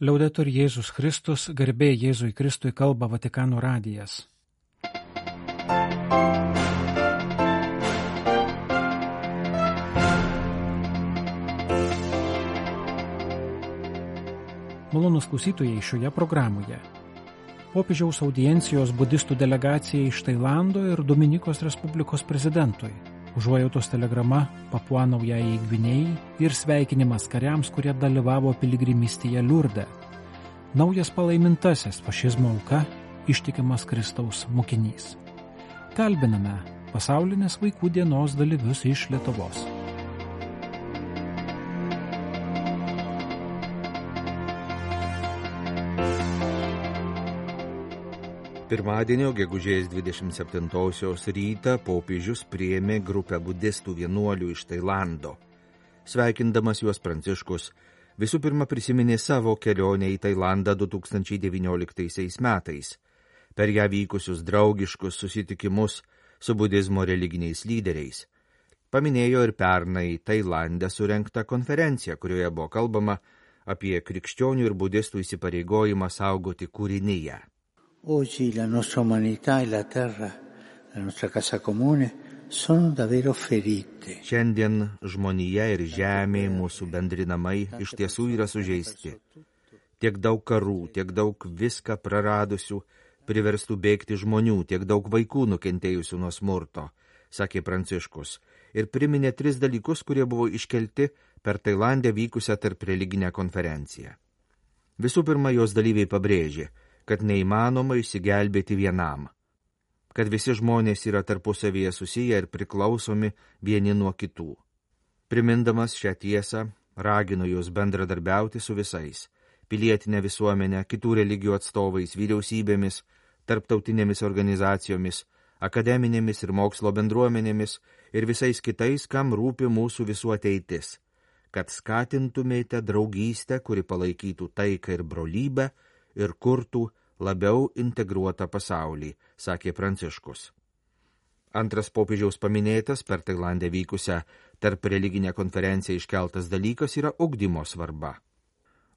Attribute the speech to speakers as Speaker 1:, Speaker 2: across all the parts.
Speaker 1: Liaudetur Jėzus Kristus, garbė Jėzui Kristui, kalba Vatikano radijas. Malonūs klausytojai, šioje programoje popiežiaus audiencijos budistų delegacijai iš Tailando ir Dominikos Respublikos prezidentui, užuojautos telegrama Papua Naujajai Gvinėjai ir sveikinimas kariams, kurie dalyvavo piligrimystėje Liurde. Naujas palaimintasis fašizmo auka, ištikimas Kristaus mokinys. Kalbiname pasaulinės vaikų dienos dalyvius iš Lietuvos.
Speaker 2: Pirmadienio gegužės 27-osios rytą popiežius priėmė grupę budistų vienuolių iš Tailando. Sveikindamas juos Pranciškus visų pirma prisiminė savo kelionę į Tailandą 2019 metais, per ją vykusius draugiškus susitikimus su budizmo religiniais lyderiais. Paminėjo ir pernai Tailande surengtą konferenciją, kurioje buvo kalbama apie krikščionių ir budistų įsipareigojimą saugoti kūriniją.
Speaker 3: Oggi la nostra umanità e la terra, la nostra casa comune, sono davvero ferite.
Speaker 2: Šiandien žmonija ir žemė, mūsų bendri namai, iš tiesų yra sužeisti. Tiek daug karų, tiek daug viską praradusių, priverstų bėgti žmonių, tiek daug vaikų nukentėjusių nuo smurto, sakė Pranciškus, ir priminė 3 dalykus, kurie buvo iškelti per Tailandę vykusią tarp religinę konferenciją. Visų pirma, jos dalyviai pabrėžė, kad neįmanoma išsigelbėti vienam, kad visi žmonės yra tarpusavyje susiję ir priklausomi vieni nuo kitų. Primindamas šią tiesą, ragino juos bendradarbiauti su visais – pilietinė visuomenė, kitų religijų atstovais, vyriausybėmis, tarptautinėmis organizacijomis, akademinėmis ir mokslo bendruomenėmis ir visais kitais, kam rūpi mūsų visų ateitis, kad skatintumėte draugystę, kuri palaikytų taiką ir brolybę ir kurtų labiau integruotą pasaulį, sakė Pranciškus. Antras popiežiaus paminėtas per Tailandę vykusią tarp religinę konferenciją iškeltas dalykas yra ugdymo svarba.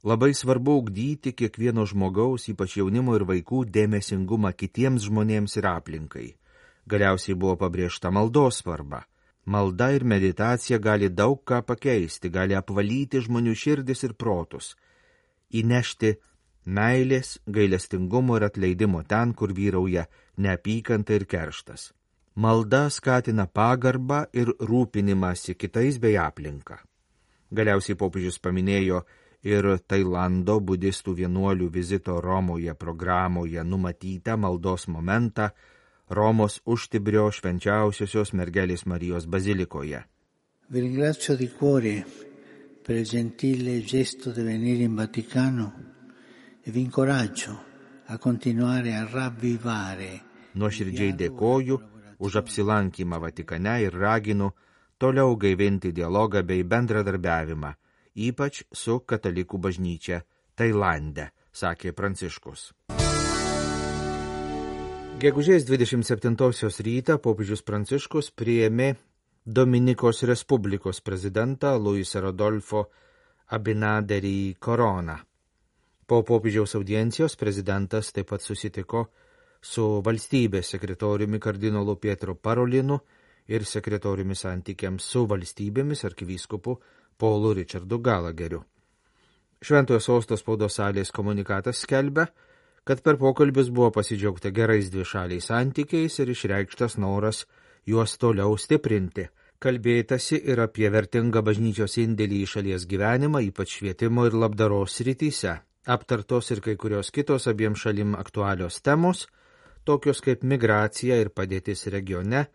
Speaker 2: Labai svarbu ugdyti kiekvieno žmogaus, ypač jaunimo ir vaikų, dėmesingumą kitiems žmonėms ir aplinkai. Galiausiai buvo pabrėžta maldos svarba. Malda ir meditacija gali daug ką pakeisti, gali apvalyti žmonių širdis ir protus, įnešti meilės, gailestingumo ir atleidimo ten, kur vyrauja neapykanta ir kerštas. Malda skatina pagarbą ir rūpinimąsi kitais bei aplinką. Galiausiai popiežius paminėjo ir Tailando budistų vienuolių vizito Romoje programoje numatytą maldos momentą Romos Užtibrio švenčiausiosios mergelės Marijos bazilikoje.
Speaker 3: Vi ringrazio di cuore per il gentile gesto di venire in Vaticano e vi incoraggio a continuare a ravvivare.
Speaker 2: Nuoširdžiai dėkoju už apsilankymą Vatikane ir raginu toliau gaivinti dialogą bei bendradarbiavimą, ypač su katalikų bažnyčia Tailande, sakė Pranciškus. Gegužės 27-osios rytą popiežius Pranciškus priėmė Dominikos Respublikos prezidentą Luis Rodolfo Abinaderį Coroną. Po popiežiaus audiencijos prezidentas taip pat susitiko su valstybės sekretoriumi kardinolu Pietro Parolinu ir sekretoriumi santykiams su valstybėmis arkivyskupu Paulu Richardu Gallagheriu. Šventojo sosto spaudos salės komunikatas skelbia, kad per pokalbius buvo pasidžiaugta gerais dvišaliais santykiais ir išreikštas noras juos toliau stiprinti. Kalbėtasi ir apie vertingą bažnyčios indėlį į šalies gyvenimą, ypač švietimo ir labdaros srityse. Aptartos ir kai kurios kitos abiem šalim aktualios temos, tokios kaip migracija ir padėtis regione,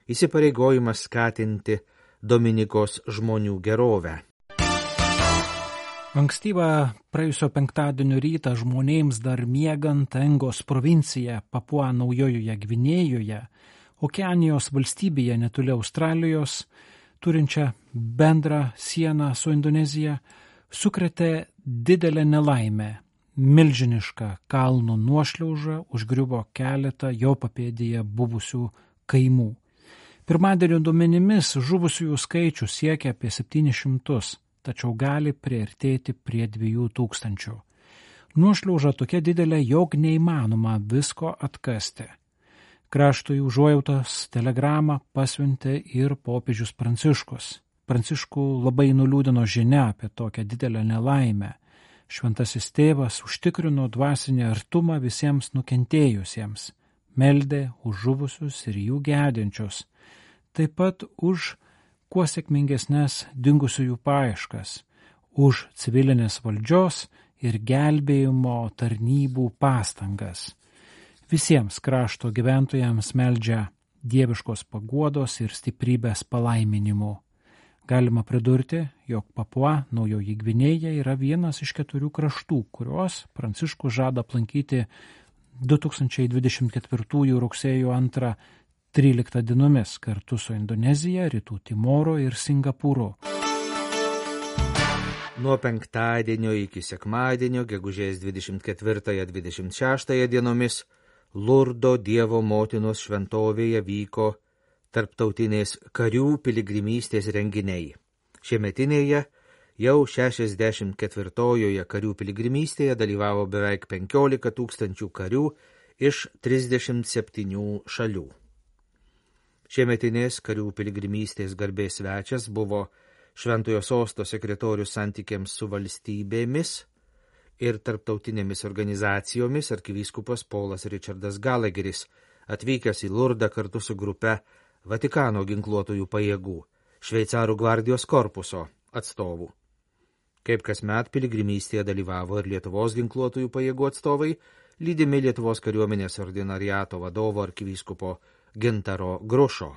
Speaker 2: įsipareigojimas skatinti Dominikos žmonių gerovę.
Speaker 1: Ankstyvą praėjusio penktadienio rytą žmonėms dar miegant Engos provincija Papua Naujojoje Gvinėjoje, Okeanijos valstybėje netoli Australijos, turinčią bendrą sieną su Indonezija, sukrėtė didelę nelaimę. Milžiniška kalno nuošliauža užgriuvo keletą jo papėdėje buvusių kaimų. Pirmadienio duomenimis žuvusiųjų skaičius siekia apie 700, tačiau gali priartėti prie 2000. Nuošliauža tokia didelė, jog neįmanoma visko atkasti. Kraštui užuojautos telegramą pasiuntė ir popiežius Pranciškus. Pranciškų labai nuliūdino žinia apie tokią didelę nelaimę. Šventasis tėvas užtikrino dvasinį artumą visiems nukentėjusiems, meldė už žuvusius ir jų gedinčius, taip pat už kuo sėkmingesnės dingusiųjų paieškas, už civilinės valdžios ir gelbėjimo tarnybų pastangas. Visiems krašto gyventojams meldžia dieviškos paguodos ir stiprybės palaiminimų. Galima pridurti, jog Papua Naujoji Gvinėja yra vienas iš 4 kraštų, kuriuos Pranciškus žada aplankyti 2024 rugsėjo 2-13 dienomis kartu su Indonezija, Rytų Timoru ir Singapūru.
Speaker 2: Nuo penktadienio iki sekmadienio, gegužės 24-26 dienomis, Lurdo Dievo motinos šventovėje vyko tarptautinės karių piligrimystės renginiai. Šiemetinėje jau 64-ojoje karių piligrimystėje dalyvavo beveik 15 000 karių iš 37 šalių. Šiemetinės karių piligrimystės garbės svečias buvo Šventojo sosto sekretorius santykiams su valstybėmis ir tarptautinėmis organizacijomis arkivyskupas Paulas Richardas Gallagheris, atvykęs į Lurdą kartu su grupe Vatikano ginkluotojų pajėgų, Šveicarų gvardijos korpuso atstovų. Kaip kasmet piligrimystėje dalyvavo ir Lietuvos ginkluotojų pajėgų atstovai, lydimi Lietuvos kariuomenės ordinariato vadovo arkivyskupo Gintaro Grušo.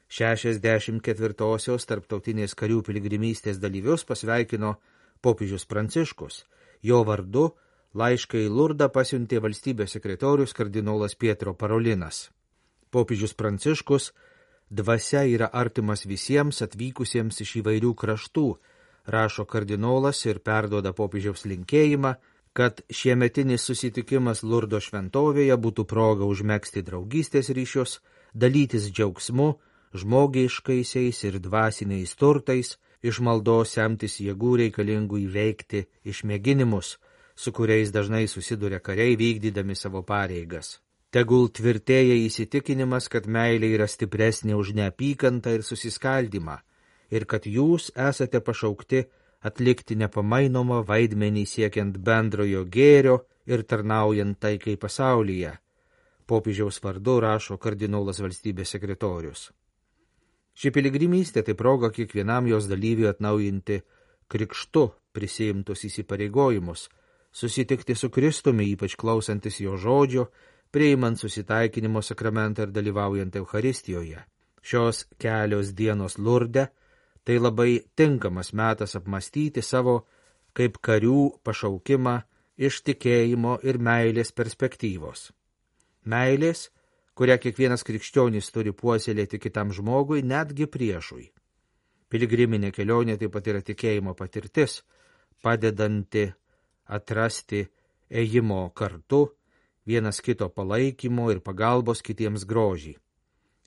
Speaker 2: 64-osios tarptautinės karių piligrimystės dalyvius pasveikino popiežius Pranciškus. Jo vardu laišką į Lurdą pasiuntė valstybės sekretorius kardinolas Pietro Parolinas. Popiežius Pranciškus dvasia yra artimas visiems atvykusiems iš įvairių kraštų, rašo kardinolas ir perduoda popiežiaus linkėjimą, kad šiemetinis susitikimas Lurdo šventovėje būtų proga užmegzti draugystės ryšius, dalytis džiaugsmu, žmogiškaisiais ir dvasiniais turtais, iš maldos semtis jėgų reikalingų įveikti išmėginimus, su kuriais dažnai susiduria kariai vykdydami savo pareigas. Tegul tvirtėja įsitikinimas, kad meilė yra stipresnė už neapykantą ir susiskaldymą, ir kad jūs esate pašaukti atlikti nepamainomą vaidmenį siekiant bendrojo gėrio ir tarnaujant taikai pasaulyje. Popiežiaus vardu rašo kardinolas valstybės sekretorius. Ši piligrimystė tai proga kiekvienam jos dalyviui atnaujinti krikštu prisiimtus įsipareigojimus, susitikti su Kristumi, ypač klausantis jo žodžio, priimant susitaikinimo sakramentą ir dalyvaujant Eucharistijoje. Šios kelios dienos Lurde tai labai tinkamas metas apmastyti savo kaip karių pašaukimą iš tikėjimo ir meilės perspektyvos. Meilės, kurią kiekvienas krikščionis turi puoselėti kitam žmogui, netgi priešui. Piligriminė kelionė taip pat yra tikėjimo patirtis, padedanti atrasti ėjimo kartu, vienas kito palaikymo ir pagalbos kitiems grožį.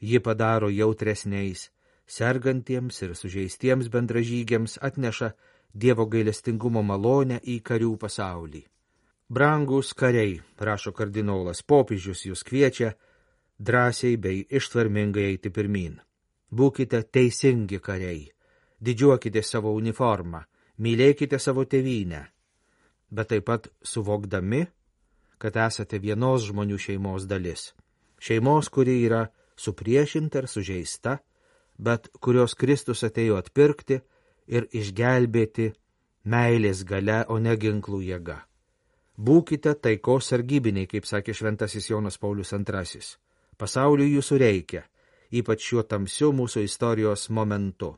Speaker 2: Ji padaro jautresniais, sergantiems ir sužeistiems bendražygiams, atneša Dievo gailestingumo malonę į karių pasaulį. Brangūs kariai, rašo kardinolas, popiežius jūs kviečia drąsiai bei ištvermingai eiti pirmyn. Būkite teisingi kariai, didžiuokite savo uniformą, mylėkite savo tėvynę, bet taip pat suvokdami, kad esate vienos žmonių šeimos dalis. Šeimos, kuri yra supriešinta ir sužeista, bet kurios Kristus atėjo atpirkti ir išgelbėti meilės galia, o ne ginklų jėga. Būkite taikos sargybiniai, kaip sakė šventasis Jonas Paulius II. Pasauliui jūsų reikia, ypač šiuo tamsiu mūsų istorijos momentu.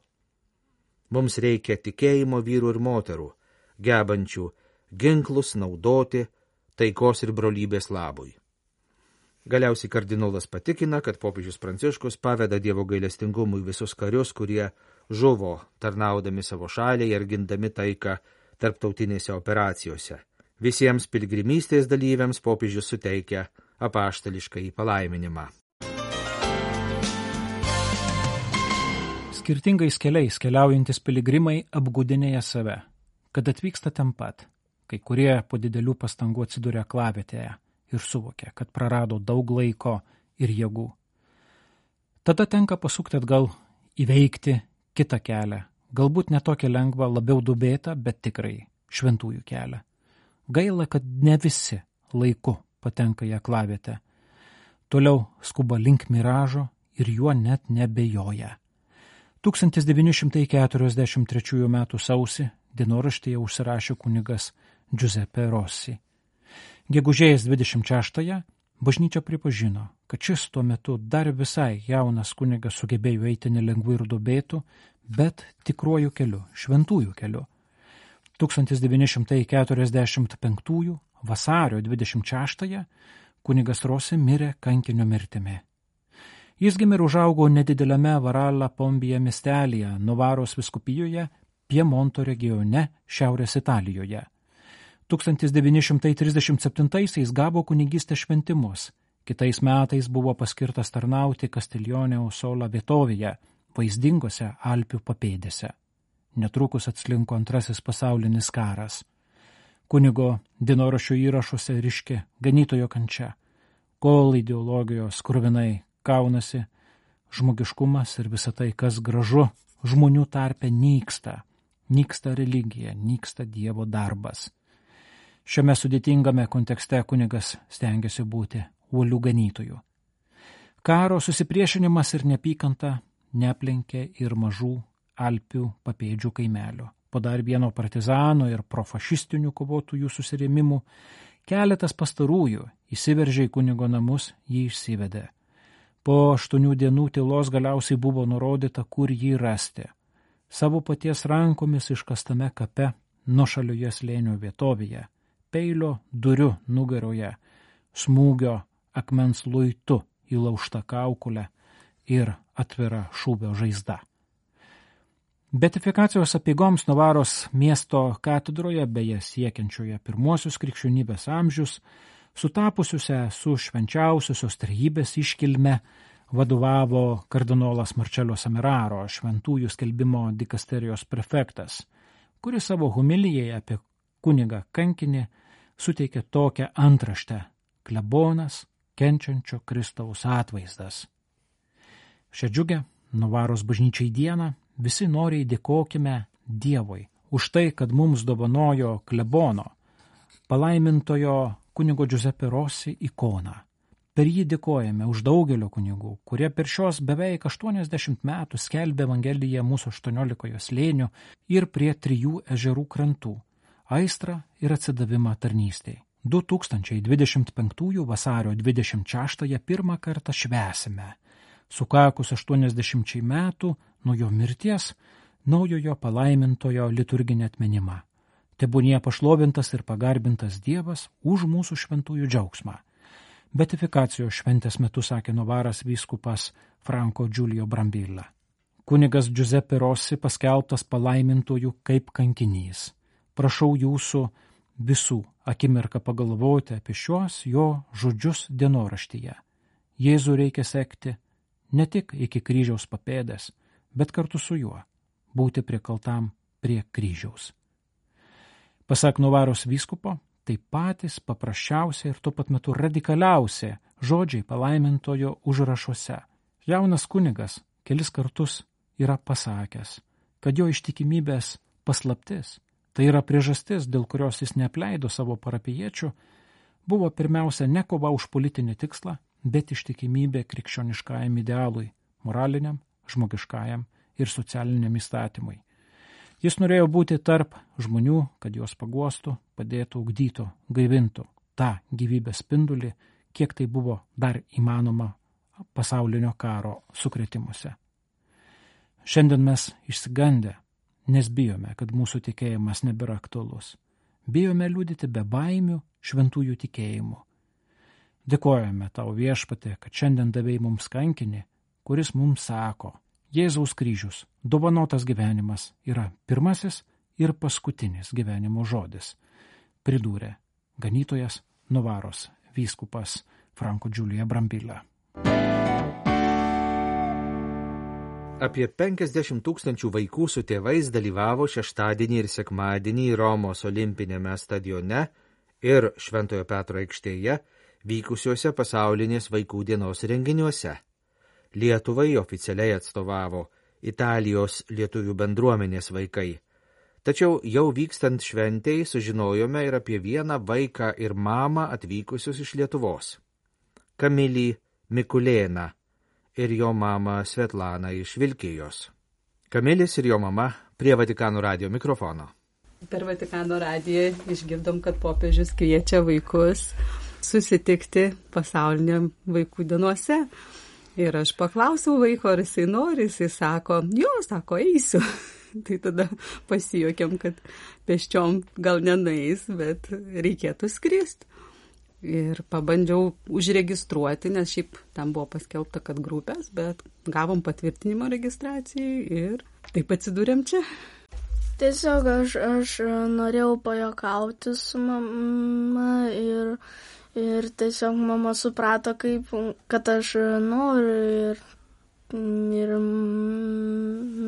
Speaker 2: Mums reikia tikėjimo vyrų ir moterų, gebančių ginklus naudoti taikos ir brolybės labui. Galiausiai kardinolas patikina, kad popiežius Pranciškus paveda Dievo gailestingumui visus karius, kurie žuvo tarnaudami savo šaliai ir gindami taiką tarptautinėse operacijose. Visiems piligrimystės dalyviams popiežius suteikia apaštališkąjį palaiminimą.
Speaker 1: Skirtingais keliais keliaujantis piligrimai apgudinėja save, kad atvyksta ten pat. kai kurie po didelių pastangų atsidūrė aklavietėje ir suvokė, kad prarado daug laiko ir jėgų. Tada tenka pasukti atgal, įveikti kitą kelią, galbūt ne tokią lengvą, labiau dubėtą, bet tikrai šventųjų kelią. Gaila, kad ne visi laiku patenka į aklavietę. Toliau skuba link miražo ir juo net nebejoja. 1943 m. sausį dienoraštyje užsirašė kunigas Giuseppe Rossi. Gegužės 26-ąją bažnyčia pripažino, kad šis tuo metu dar visai jaunas kunigas sugebėjo eiti nelengvai ir dubėtų, bet tikruoju keliu, šventųjų keliu. 1945 vasario 26-ąją kunigas Rossi mirė kankinio mirtimi. Jis gimė ir užaugo nedideliame Varalla Pombija miestelyje, Novaros vyskupijoje, Piemonto regione, Šiaurės Italijoje. 1937 gavo kunigystės šventimus. Kitais metais buvo paskirtas tarnauti Castiglione Sola vietovėje, vaizdingose Alpių papėdėse. Netrukus atslinko Antrasis pasaulinis karas. Kunigo dienoraščio įrašuose ryški ganytojo kančia, kol ideologijos kruvinai kaunasi, žmogiškumas ir visa tai, kas gražu, žmonių tarpe nyksta. Nyksta religija, nyksta Dievo darbas. Šiame sudėtingame kontekste kunigas stengiasi būti uolių ganytojų. Karo susipriešinimas ir neapykanta neaplenkė ir mažų Alpių papėdžių kaimelio. Po dar vieno partizano ir profašistinių kovotojų susirėmimų, keletas pastarųjų įsiveržė į kunigo namus, jį išsivedė. Po 8 dienų tylos galiausiai buvo nurodyta, kur jį rasti. Savo paties rankomis iškastame kape nuošalioje slėnio vietovėje, peilio duriu nugaroje, smūgio akmens luitu įlaužta kaukulė ir atvira šūvio žaizda. Beatifikacijos apeigoms Novaros miesto katedroje, beje siekiančioje pirmuosius krikščionybės amžius, sutapusiuose su švenčiausiosios trejybės iškilme, vadovavo kardinolas Marcello Semeraro, šventųjų skelbimo dikasterijos prefektas, kuris savo homilijai apie kunigą kankinį suteikė tokią antraštę: klebonas, kenčiančio Kristaus atvaizdas. Šią džiugę Novaros bažnyčiai dieną visi noriai dėkokime Dievui už tai, kad mums dovanojo klebono, palaimintojo kunigo Giuseppe Rossi ikoną. Per jį dėkojame už daugelio kunigų, kurie per šios beveik 80 metų skelbė Evangeliją mūsų 18 slėnių ir prie 3 ežerų krantų, aistrą ir atsidavimą tarnystei. 2025 vasario 26 pirmą kartą švęsime, sukakus 80 metų nuo jo mirties, naujojo palaimintojo liturginį atminimą. Tebūnie pašlovintas ir pagarbintas Dievas už mūsų šventųjų džiaugsmą. Beatifikacijos šventės metu sakė Novaras vyskupas Franco Giulio Brambilla. Kunigas Giuseppe Rossi paskelbtas palaimintojų kaip kankinys. Prašau jūsų visų akimirką pagalvoti apie šios jo žodžius dienoraštyje. Jėzų reikia sekti ne tik iki kryžiaus papėdės, bet kartu su juo būti prikaltam prie kryžiaus. Pasak Novaros vyskupo, tai patys paprasčiausia ir tuo pat metu radikaliausia žodžiai palaimintojo užrašuose. Jaunas kunigas kelis kartus yra pasakęs, kad jo ištikimybės paslaptis, tai yra priežastis, dėl kurios jis neapleido savo parapijiečių, buvo pirmiausia ne kova už politinį tikslą, bet ištikimybė krikščioniškajam idealui, moraliniam, žmogiškajam ir socialiniam įstatymui. Jis norėjo būti tarp žmonių, kad juos paguostų, padėtų, ugdytų, gaivintų tą gyvybės spindulį, kiek tai buvo dar įmanoma pasaulinio karo sukrėtimuose. Šiandien mes išsigandę, nes bijome, kad mūsų tikėjimas nebėra aktualus. Bijome liudyti be baimių šventųjų tikėjimu. Dėkojame tau, Viešpatie, kad šiandien davei mums kankinį, kuris mums sako: Jėzaus kryžius, dovanotas gyvenimas, yra pirmasis ir paskutinis gyvenimo žodis, pridūrė ganytojas Novaros vyskupas Franco Giulio Brambilla.
Speaker 2: Apie 50 000 vaikų su tėvais dalyvavo šeštadienį ir sekmadienį Romos olimpinėme stadione ir Šventojo Petro aikštėje vykusiuose pasaulinės vaikų dienos renginiuose. Lietuvai oficialiai atstovavo Italijos lietuvių bendruomenės vaikai. Tačiau jau vykstant šventei sužinojome ir apie vieną vaiką ir mamą atvykusius iš Lietuvos. Kamilį Mikulėną ir jo mamą Svetlaną iš Vilkijos. Kamilis ir jo mama prie Vatikano radijo mikrofono.
Speaker 4: Per Vatikano radiją išgirdom, kad popiežius kviečia vaikus susitikti pasauliniam vaikų dienose. Ir aš paklausiau vaiko, ar jisai nori, jisai sako, eisiu. Tai tada pasijuokėm, kad pėsčiom gal nenueis, bet reikėtų skristi. Ir pabandžiau užregistruoti, nes šiaip tam buvo paskelbta, kad grupės, bet gavom patvirtinimo registracijai ir taip atsidūrėm čia.
Speaker 5: Tiesiog aš norėjau pajuokauti su mama ir tiesiog mama suprato, kad aš noriu ir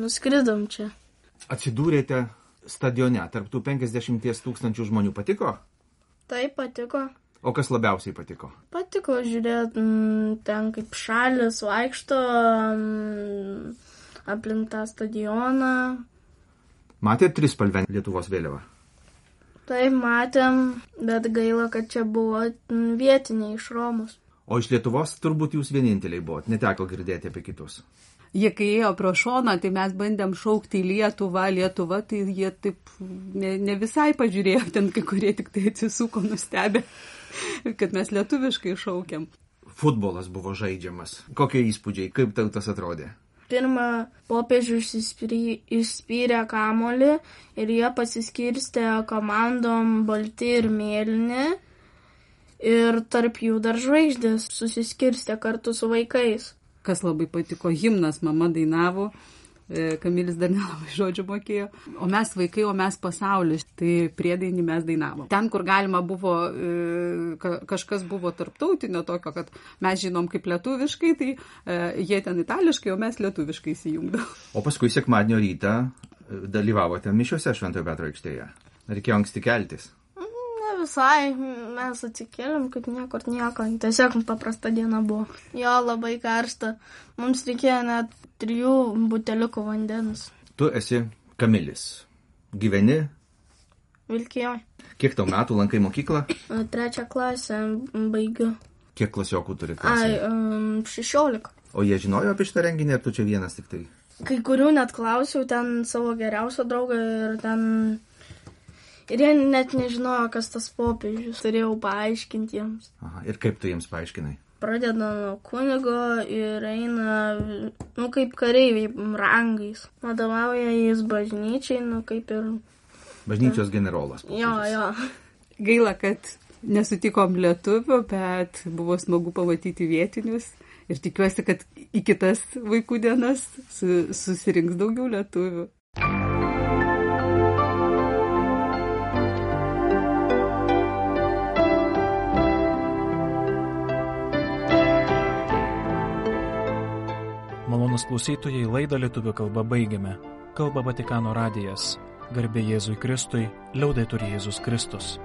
Speaker 5: nuskridom čia.
Speaker 2: Atsidūrėte stadione, tarp tų 50 000 žmonių. Patiko?
Speaker 5: Taip, patiko.
Speaker 2: O kas labiausiai patiko?
Speaker 5: Patiko žiūrėti ten, kaip šalis vaikšto aplink tą stadioną.
Speaker 2: Matėt trispalvę Lietuvos vėliavą?
Speaker 5: Taip, matėm, bet gaila, kad čia buvo vietiniai iš Romos.
Speaker 2: O iš Lietuvos turbūt jūs vieninteliai buvot, neteko girdėti apie kitus.
Speaker 4: Jie kai ėjo pro šoną, tai mes bandėm šaukti į Lietuvą, tai jie taip ne visai pažiūrėjo, ten kai kurie tik tai atsisuko nustebę, kad mes lietuviškai šaukiam.
Speaker 2: Futbolas buvo žaidžiamas. Kokie įspūdžiai, kaip tau tas atrodė?
Speaker 5: Pirmą popiežius išspyrė kamuolį ir jie pasiskirstė komandom balti ir mėlyni ir tarp jų dar žvaigždės susiskirstė kartu su vaikais.
Speaker 4: Kas labai patiko, himnas mama dainavo, Kamilis dar nelabai žodžių mokėjo, o mes vaikai, o mes pasaulis, tai priedainį mes dainavom. Ten, kur galima buvo, kažkas buvo tarptautinio tokio, kad mes žinom kaip lietuviškai, tai jie ten itališkai, o mes lietuviškai įsijungdavom.
Speaker 2: O paskui sekmadienio rytą dalyvavote mišiose Šventojo Petro aikštėje. Reikėjo anksti keltis?
Speaker 5: Ne visai, mes atsikėlėm, kaip niekur nieko, tiesiog paprasta diena buvo. Jo, labai karšta, mums reikėjo net 3 buteliukų vandens.
Speaker 2: Tu esi Kamilis. Gyveni?
Speaker 5: Vilkijoje.
Speaker 2: Kiek tau metų, lankai mokyklą?
Speaker 5: 3 klasę baigiu.
Speaker 2: Kiek klasiokų turi klasėje?
Speaker 5: 16.
Speaker 2: O jie žinojo apie šitą renginį, ar tu čia vienas tik tai?
Speaker 5: Kai kurių net klausiau, ten savo geriausio draugą ir jie net nežinojo, kas tas popiežius. Turėjau paaiškinti jiems.
Speaker 2: Aha, ir kaip tu jiems paaiškinai?
Speaker 5: Pradeda nuo kunigo ir eina, kaip kareiviai rangais. Vadovauja jis bažnyčiai, kaip ir...
Speaker 2: Bažnyčios generolas.
Speaker 5: Jo.
Speaker 4: Gaila, kad nesutikom lietuvių, bet buvo smagu pamatyti vietinius. Ir tikiuosi, kad į kitas vaikų dienas susirinks daugiau lietuvių.
Speaker 1: Malonūs klausytojai, laidą lietuvių kalba baigiame. Kalba Vatikano radijas. Garbė Jėzui Kristui, liaudetur Jėzus Kristus.